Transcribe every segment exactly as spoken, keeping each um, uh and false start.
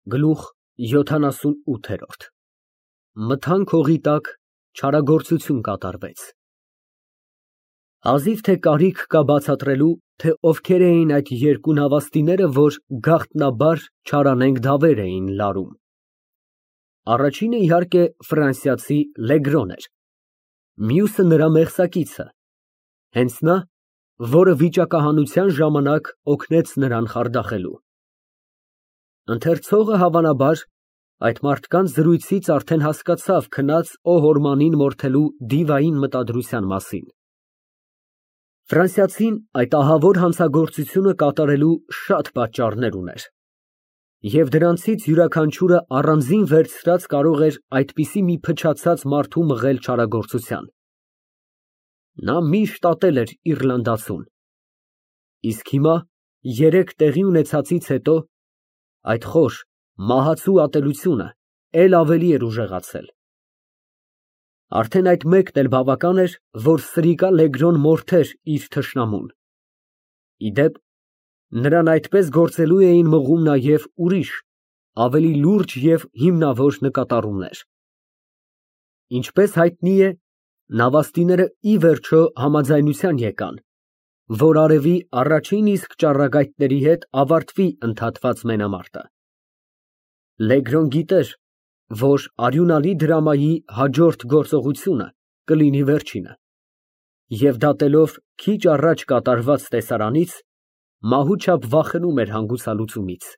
Գլուխ յոթանասունութ Մթան քողի տակ չարագործություն կատարվեց։ Հազիվ թե կարիք կա բացատրելու, թե ովքեր էին այդ երկու նավաստիները, որ գաղտնաբար չարանենգ դավեր էին լարում։ Առաջինը, իհարկե, ֆրանսիացի Լեգրոն էր, մյուսը նրա մեղսակիցը, հենց նա, որը վիճակահանության ժամանակ օգնեց նրան խարդախելու։ Ընթերցողը, հավանաբար, այդ մարդկանց զրույցից արդեն հասկացավ քնած Օհորմանին մորթելու դիվային մտադրության մասին։ Ֆրանսիացին այդ ահավոր հանցագործությունը կատարելու շատ պատճառներ ուներ, և դրանցից յուրաքանչյուրը առանձին վերցրած կարող էր այդպիսի մի փչացած մարդու մղել չարագործության։ Նա միշտ ատել էր իռլանդացուն, իսկ հիմա, երեկ տեղի ունեցածից հետո, այդ խոր, մահացու ատելությունը էլ ավելի էր ուժեղացել։ Արդեն այդ մեկն էլ բավական էր, որ սրիկա Լեգրոն մորթեր իր թշնամուն։ Ի դեպ, նրան այդպես գործելու էին մղում նաև ուրիշ, ավելի լուրջ և հիմնավոր նկատառումներ։ Ինչպես հայտնի է, նավաստիները ի վերջո համաձայնության եկան, որ արևի առաջին իսկ ճառագայթների հետ ավարտվի ընդհատված մենամարտը։ Լեգրոն գիտեր, որ արյունալի դրամայի հաջորդ գործողությունը կլինի վերջինը, և դատելով քիչ առաջ կատարված տեսարանից, մահուչապ վախենում էր հանգուցալուծումից։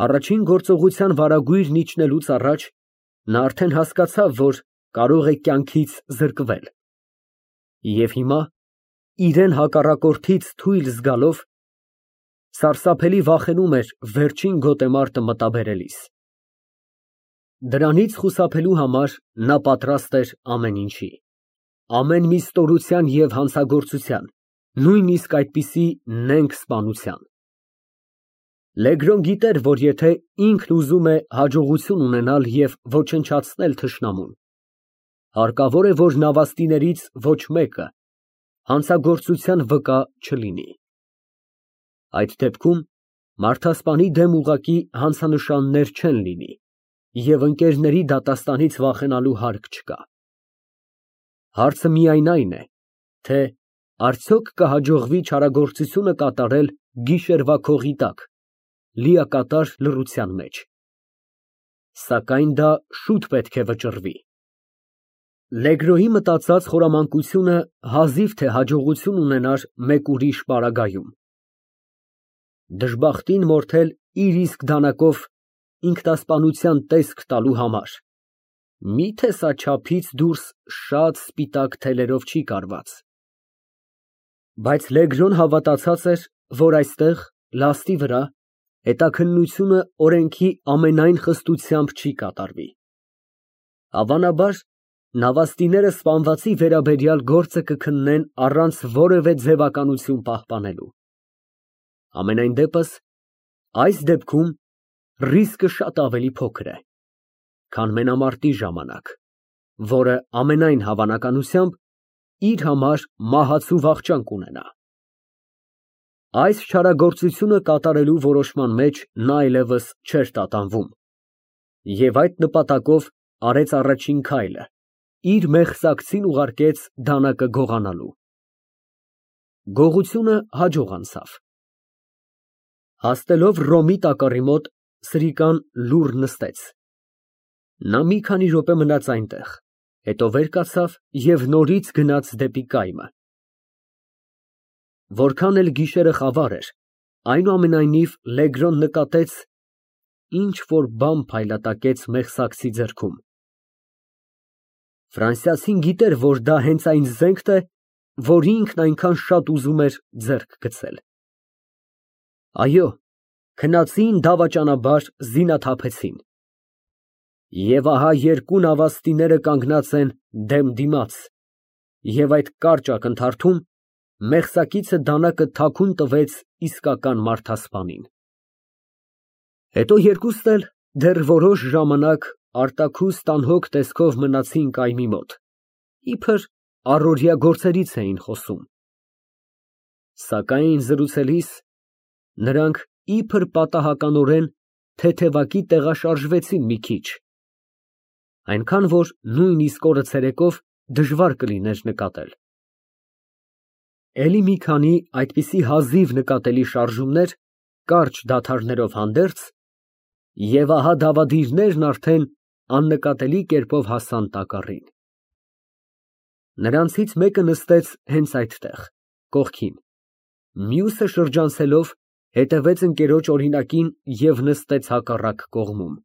Առաջին գործողության վարագույրն իջնելուց առաջ նա արդեն հասկացավ, որ կարող է կյանքից զրկվել, և հիմա, իրան հակառակորդից թույլ զգալով, սարսափելի վախենում էր վերջին գոտեմարտը մտաբերելիս։ Դրանից խուսափելու համար նա պատրաստ էր ամեն ինչի, ամեն մի ստորության և հանցագործության, նույնիսկ այդպիսի նենգ սպանության։ Լեգրոն գիտեր, որ եթե ինքն ուզում է հաջողություն ունենալ և ոչնչացնել թշնամուն, հարկավոր է, որ նավաստիներից ոչ մեկը հանցագործության վկա չլինի։ Այդ դեպքում մարդասպանի դեմ ուղղակի հանցանշաններ չեն լինի, և ընկերների դատաստանից վախենալու հարկ չկա։ Հարցը միայն այն է, թե արդյոք կհաջողվի չարագործությունը կատարել գիշերվա քողի տակ, լիակատար լռության մեջ։ Սակայն դա շուտ պետք է վճռվի։ Լեգրոյի մտածած խորամանկությունը հազիվ թե հաջողություն ունենար մեկ ուրիշ պարագայում։ Դժբախտին մորթել իր իսկ դանակով ինքնասպանության տեսք տալու համար, մի՞թե սա չափից դուրս շատ սպիտակ թելերով չի կարված։ Բայց Լեգրոն հավատացած էր, որ այստեղ, լաստի վրա, հետաքննությունը օրենքի ամենայն խստությամբ չի կատարվի։ Հավանաբար, նավաստիները սպանվածի վերաբերյալ գործը կքննեն առանց որևէ ձևականություն պահպանելու։ Համենայն դեպս, այս դեպքում ռիսկը շատ ավելի փոքր է, քան մենամարտի ժամանակ, որը ամենայն հավանականությամբ իր համար մահացու վախճան կունենա։ Այս չարագործությունը կատարելու որոշման մեջ նա այլևս չէր տատանվում, և այդ նպատակով արեց առաջին քայլը, իր մեղսակցին ուղարկեց դանակը գողանալու։ Գողությունը հաջող անցավ։ Հասնելով Ռոմի տակառի մոտ, սրիկան լուռ նստեց։ Նա մի քանի րոպե մնաց այնտեղ, հետո վեր կացավ և նորից գնաց դեպի կայմը։ Որքան էլ գիշերը խավար էր, այնուամենայնիվ Լեգրոն նկատեց ինչ֊որ բան փայլատակեց մեղսակցի ձեռքում։ Ֆրանսիացին գիտեր, որ դա հենց այն զենքն է, որ ինքն այնքան շատ ուզում էր ձեռք գցել։ Այո, քնածին դավաճանաբար զինաթափեցին։ Եվ ահա երկու նավաստիները կանգնած են դեմ դիմաց, և այդ կարճ ակնթարթում մեղսակիցը դանակը թաքուն տվեց իսկական մարդասպանին։ Հետո երկուսն էլ դեռ որոշ ժամանակ արտաքուստ անհոգ տեսքով մնացին կայմի մոտ, իբր առօրյա գործերից էին խոսում։ Սակայն զրուցելիս նրանք իբր պատահականորեն, թեթևակի տեղաշարժվեցին մի քիչ, այնքան, որ նույնիսկ օրը ցերեկով դժվար կլիներ նկատել։ Էլի մի քանի այդպիսի հազիվ նկատելի շարժումներ, կարճ դադարներով հանդերձ, և ահա դավադիրներն արդեն աննկատելի կերպով հասան տակառին։ Նրանցից մեկը նստեց հենց այդտեղ, կողքին, մյուսը շրջանցելով հետևեց ընկերոջ օրինակին և նստեց հակառակ կողմում։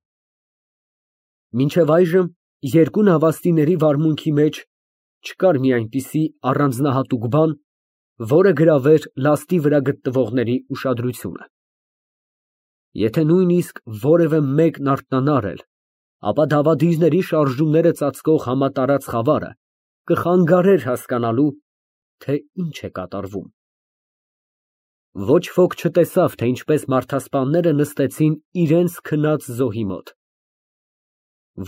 Մինչև այժմ երկու նավաստիների վարմունքի մեջ չկար մի այնպիսի առանձնահատուկ բան, որը գրավեր լաստի վրա գտնվողների ուշադրությունը։ Եթե նույնիսկ որևէ մեկն արթնանար էլ, ապա դավադիրների շարժումները ծածկող համատարած խավարը կխանգարեր հասկանալու, թե ինչ է կատարվում։ Ոչ ոք չտեսավ, թե ինչպես մարդասպանները նստեցին իրենց քնած զոհի մոտ։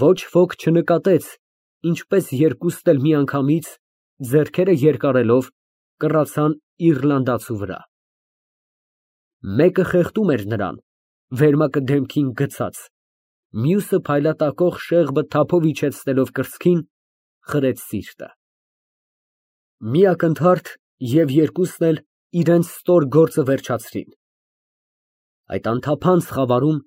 Ոչ ոք չնկատեց, ինչպես երկուսն էլ միանգամից, ձեռքերը երկարելով, կռացան իռլանդացու վրա։ Մեկը խեղդում էր նրան, վերմակը դեմքին գցած, մյուսը փայլատակող շեղբը թափով իջեցնելով կրծքին, խրեց սիրտը։ Մի ակնթարթ, և երկուսն էլ իրենց ստոր գործը վերջացրին։ Այդ անթափանց խավարում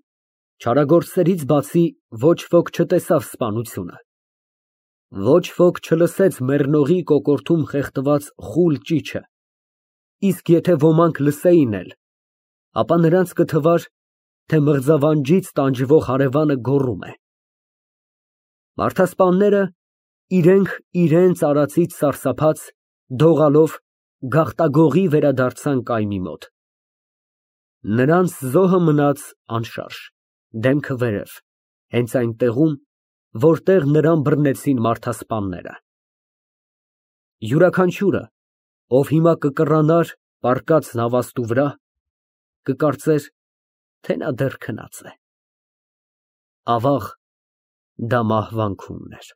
չարագործներից բացի ոչ ոք չտեսավ սպանությունը։ Ոչ ոք չլսեց մեռնողի կոկորդում խեղդված խուլ ճիչը, իսկ եթե ոմանք լսեին էլ, ապա նրանց կթվար, թե մղձավանջից տանջվող հարևանը գոռում է։ Մարդասպանները, իրենք իրենց արածից սարսափած, դողալով, գաղտագողի վերադարձան կայմի մոտ։ Նրանց զոհը մնաց անշարժ, դեմքը վերև, հենց այն տեղում, որտեղ նրան բռնեցին մարդասպանները։ Յուրաքանչյուրը, ով հիմա կկռանար պառկած նավաստու վրա, կկարծեր, թե նա դեռ քնած է։ Ավաղ, դա մահվան քունն էր։